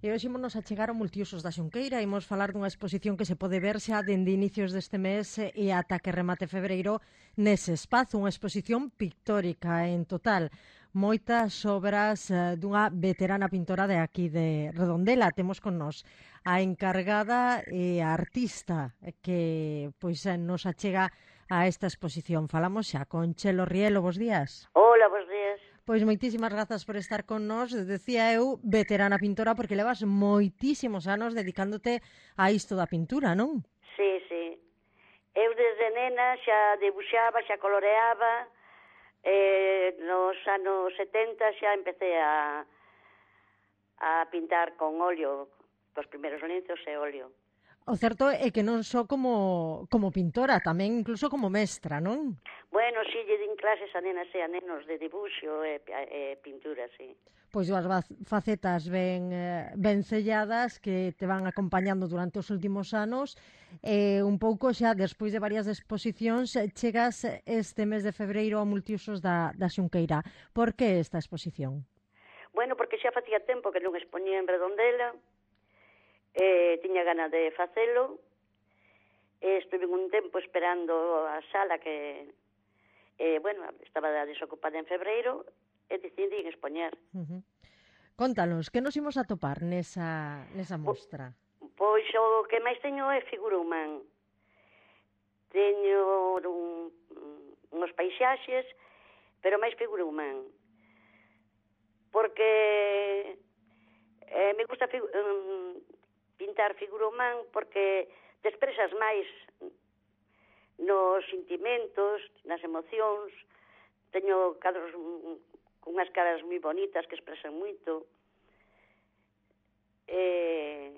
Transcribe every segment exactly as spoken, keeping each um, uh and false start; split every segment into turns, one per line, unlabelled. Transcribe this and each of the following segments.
E hoxe imos a chegar ao Multiusos da Xunqueira. Imos falar dunha exposición que se pode ver xa dende inicios deste mes e ata que remate febreiro nese espazo. Unha exposición pictórica en total. Moitas obras eh, dunha veterana pintora de aquí de Redondela. Temos con nós a encargada e a artista que pois nos achega a esta exposición. Falamos xa con Chelo Rielo. Bos días.
Hola, bos días.
Pois moitísimas grazas por estar con nós. Decía eu, veterana pintora, porque levas moitísimos anos dedicándote a isto da pintura, non?
Sí, sí. Eu desde nena xa debuxaba, xa coloreaba. Eh, nos anos setenta xa empecé a, a pintar con óleo, cos primeiros lienzos e óleo.
O certo é que non só como, como pintora, tamén incluso como mestra, non?
Bueno, si, lle din clases a nenas e a nenos de dibuixo e, e pintura, sí.
Pois dúas facetas ben, ben selladas que te van acompañando durante os últimos anos. E un pouco xa, despois de varias exposicións, chegas este mes de febreiro ao Multiusos da, da Xunqueira. Por que esta exposición?
Bueno, porque xa facía tempo que non expoñía en Redondela, eh, tiña gana de facelo, e estuve un tempo esperando a sala que, eh, bueno, estaba desocupada en febreiro, e decidín expoñer.
Uh-huh. Contanos, que nos imos a topar nesa, nesa mostra?
Pois o que máis teño é figura humana. Teño un, uns paisaxes, pero máis figura humana. Porque eh, me gusta figu um, pintar figura humana porque te expresas máis nos sentimentos, nas emocións. Teño cadros con unhas caras moi bonitas que expresan moito. Eh,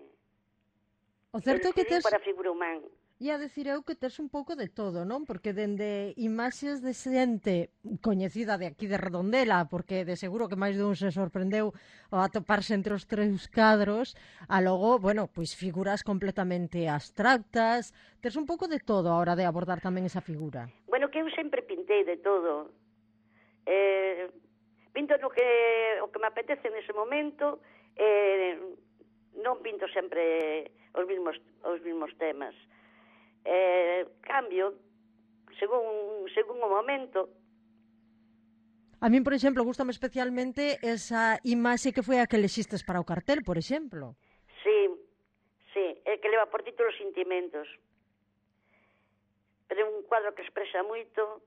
o certo é que tes...
para a figura humana.
Ia dicir eu que tes un pouco de todo, non? Porque dende imaxes de xente coñecida de aquí de Redondela, porque de seguro que máis dun se sorprendeu ao atoparse entre os tres cadros, a logo, bueno, pois figuras completamente abstractas. Tes un pouco de todo a hora de abordar tamén esa figura.
Bueno, que eu sempre pintei de todo. Eh, pinto no que, o que me apetece nese momento, eh, non pinto sempre os mesmos, os mesmos temas. Eh, cambio según, según o momento.
A min, por exemplo, gustame especialmente esa imaxe que foi a que lexistes para o cartel, por exemplo.
Sí, sí, é que leva por título Sentimentos. Pero é un cuadro que expresa moito,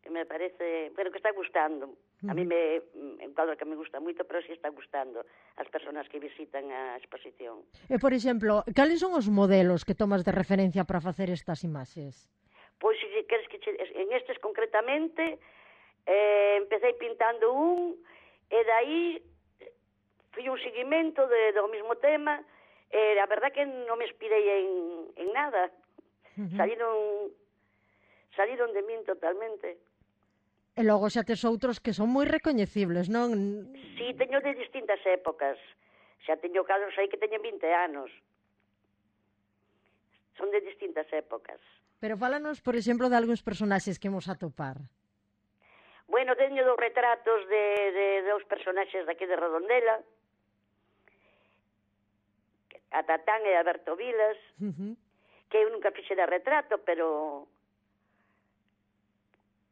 que me parece, pero que está gustando. A mí me, é un cuadro que me gusta moito, pero si está gustando as persoas que visitan a exposición.
E, por exemplo, cales son os modelos que tomas de referencia para facer estas imaxes?
Pois, se queres que che, en estes concretamente, eh, empecé pintando un, e daí fui un seguimento de, do mesmo tema, e a verdad que non me inspirei en, en nada. Uh-huh. Saliron, saliron de min totalmente.
E logo xa tes outros que son moi recoñecibles, non?
Sí, teño de distintas épocas. Xa teño cadros aí que teñen vinte anos. Son de distintas épocas.
Pero fálanos, por exemplo, de algúns personaxes que imos atopar.
Bueno, teño dos retratos de, de, de dos personaxes daqui de Redondela, a Tatán e a Berto Vilas, uh-huh. que eu nunca fixera retrato, pero...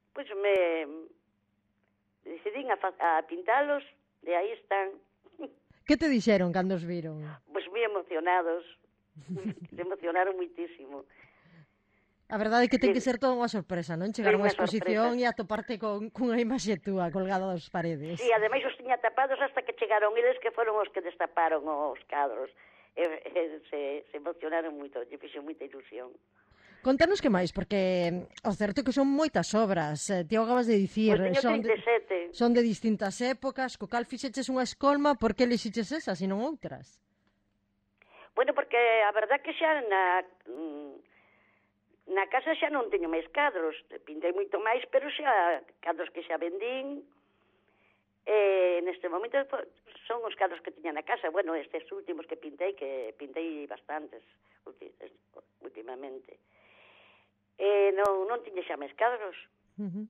Pois me decidín a, a pintalos, e aí están.
Que te dixeron cando os viron?
Pois moi emocionados, se emocionaron muitísimo.
A verdade é que ten que ser toda unha sorpresa, non? Chegar a unha exposición sorpresa. E atoparte con cunha imaxe túa colgada das paredes.
Sí, ademais os tiña tapados hasta que chegaron eles, que foron os que destaparon os cadros. E, e, se, se emocionaron moito, lle fixo moita ilusión.
Contanos que máis, porque o certo é que son moitas obras. Ti acabas de dicir,
pues
son, de,
trinta e sete.
son de distintas épocas, co cal fixeches unha escolma, por que elixiches esas e non outras?
Bueno, porque a verdad que xa na, na casa xa non teño máis cadros, pintei moito máis, pero xa cadros que xa vendín, e neste momento son os cadros que tiña na casa. Bueno, estes últimos que pintei, que pintei bastantes últimamente. E non, non tiña xa máis cadros.
Uh-huh.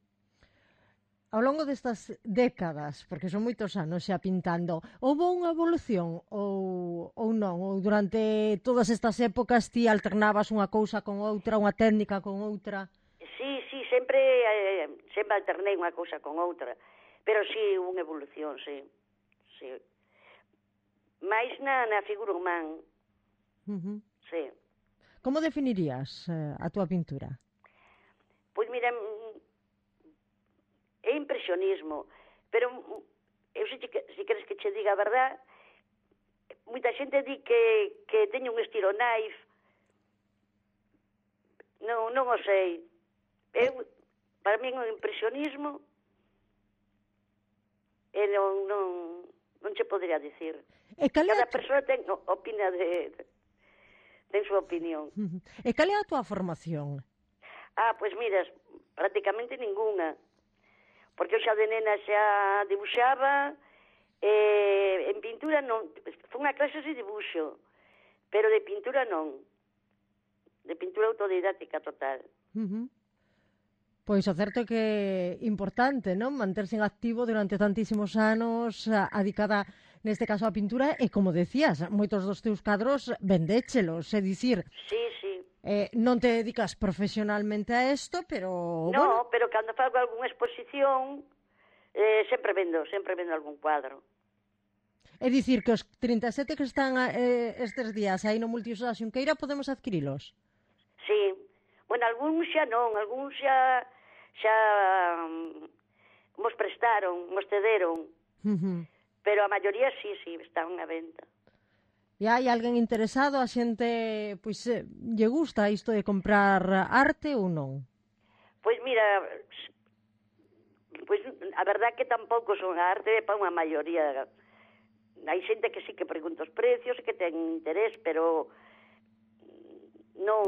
ao longo destas décadas, porque son moitos anos xa pintando, houve unha evolución ou, ou non? Ou durante todas estas épocas ti alternabas unha cousa con outra, unha técnica con outra?
Sí, sí, sempre, eh, sempre alternei unha cousa con outra, pero sí, unha evolución, sí, sí. Mais na, na figura humana,
Uh-huh.
sí.
Como definirías eh, a túa pintura?
Pois mira, é impresionismo, pero eu sei que, se queres que che diga a verdad, moita xente di que, que teño un estilo naif, non, non o sei. Eu, para mí é un impresionismo e non, non, non che podría dicir.
E cal é
Cada
a tu...
persoa ten, opina de, de, ten súa opinión.
Uh-huh. E cal é a túa formación?
Ah, pois miras, prácticamente ninguna. Porque eu xa de nena xa dibuixaba, e en pintura non, foi unha clase de dibuixo, pero de pintura non. De pintura autodidáctica total.
Uh-huh. Pois o certo é que é importante, non? Manterse en activo durante tantísimos anos, adicada neste caso á pintura, e como decías, moitos dos teus cadros vendéchelos, é dicir,
Sí, sí.
Eh, non te dedicas profesionalmente a isto, pero...
No,
bueno.
pero cando fago algunha exposición, eh, sempre vendo, sempre vendo algún cuadro.
É dicir, que os trinta e sete que están eh, estes días aí no Multiusos da Xunqueira podemos adquirilos?
Sí. Bueno, algúns xa non, algúns xa xa um, mos prestaron, mos cederon.
Uh-huh.
Pero a maioría sí, sí, están a venta.
E hai alguén interesado, a xente, pois, eh, lle gusta isto de comprar arte ou non?
Pois mira, pois a verdad que tampouco son a arte para unha maioría. Hai xente que sí que pregunta os precios e que ten interés, pero non,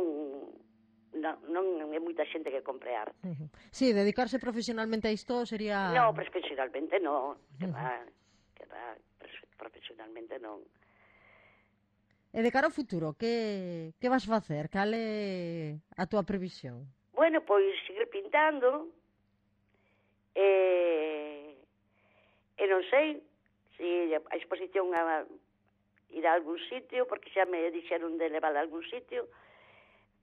non, non é moita xente que compre arte.
Uh-huh. Sí, dedicarse profesionalmente a isto sería...
No, profesionalmente non, que
Uh-huh.
va, que va, profesionalmente non.
E de cara ao futuro, que, que vas facer? Cal é a túa previsión?
Bueno, pois seguir pintando, e, e non sei se a exposición a ir a algún sitio, porque xa me dixeron de levar a algún sitio,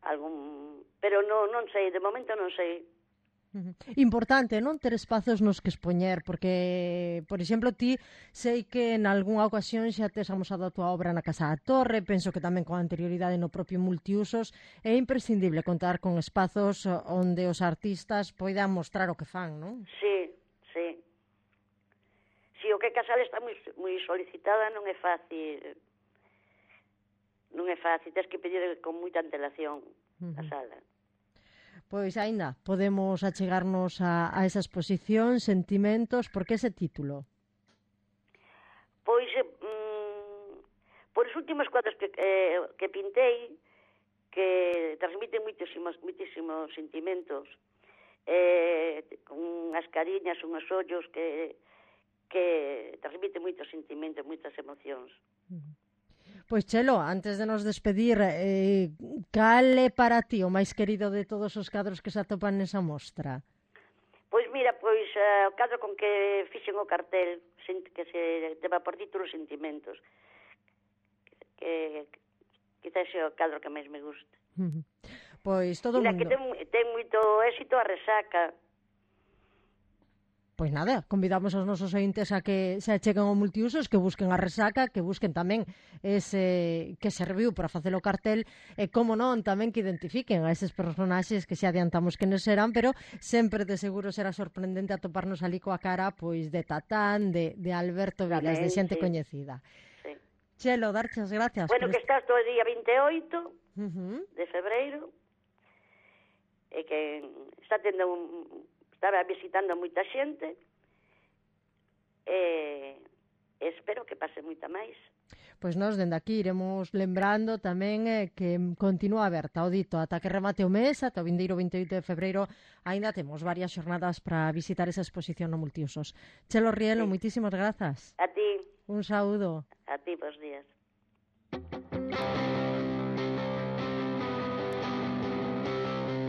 algún, pero non, non sei, de momento non sei.
Uh-huh. Importante, non? Ter espazos nos que expoñer, porque, por exemplo, ti sei que en algunha ocasión xa tes amosado a tua obra na Casa da Torre, penso que tamén con anterioridade no propio Multiusos, é imprescindible contar con espazos onde os artistas poidan mostrar o que fan, non?
Sí, sí. Si o que Casal está moi, moi solicitada, non é fácil, non é fácil, tens que pedir con moita antelación a
Uh-huh.
sala.
Pois aínda podemos achegarnos a, a esa exposición, Sentimentos, por que ese título?
Pois, mm, por os últimos cuadros que, eh, que pintei, que transmiten moitísimos, moitísimos sentimentos, eh, con unhas cariñas, unhos ollos que, que transmiten moitos sentimentos, moitas emocións.
Uh-huh. Pois Chelo, antes de nos despedir, eh, cal é para ti o máis querido de todos os cadros que se atopan nesa mostra?
Pois mira, pois uh, o cadro con que fixen o cartel, que se teva por título Sentimentos, que quizás é o cadro que máis me gusta.
Uh-huh. Pois todo o mundo...
que ten, ten moito éxito a Resaca.
Pois nada, convidamos aos nosos ointes a que se acheguen ao Multiusos, que busquen a Resaca, que busquen tamén ese que serviu para facer o cartel, e como non, tamén que identifiquen a eses personaxes que xa adiantamos que nos serán, pero sempre de seguro será sorprendente atoparnos ali coa cara pois de Tatán, de, de Alberto Vilas, de xente
sí.
coñecida.
Sí.
Chelo, darches gracias.
Bueno, que estás todo o día vinte e oito
uh-huh.
de febreiro, e que está tendo un... estaba visitando moita xente, e espero que pase moita máis.
Pois nós, dende aquí, iremos lembrando tamén eh, que continúa aberta o dito ata que remate o mes, ata o vindeiro vinte e oito de febreiro, aínda temos varias xornadas para visitar esa exposición no Multiusos. Chelo Rielo, sí. Moitísimas grazas.
A ti.
Un saúdo.
A ti, bons días.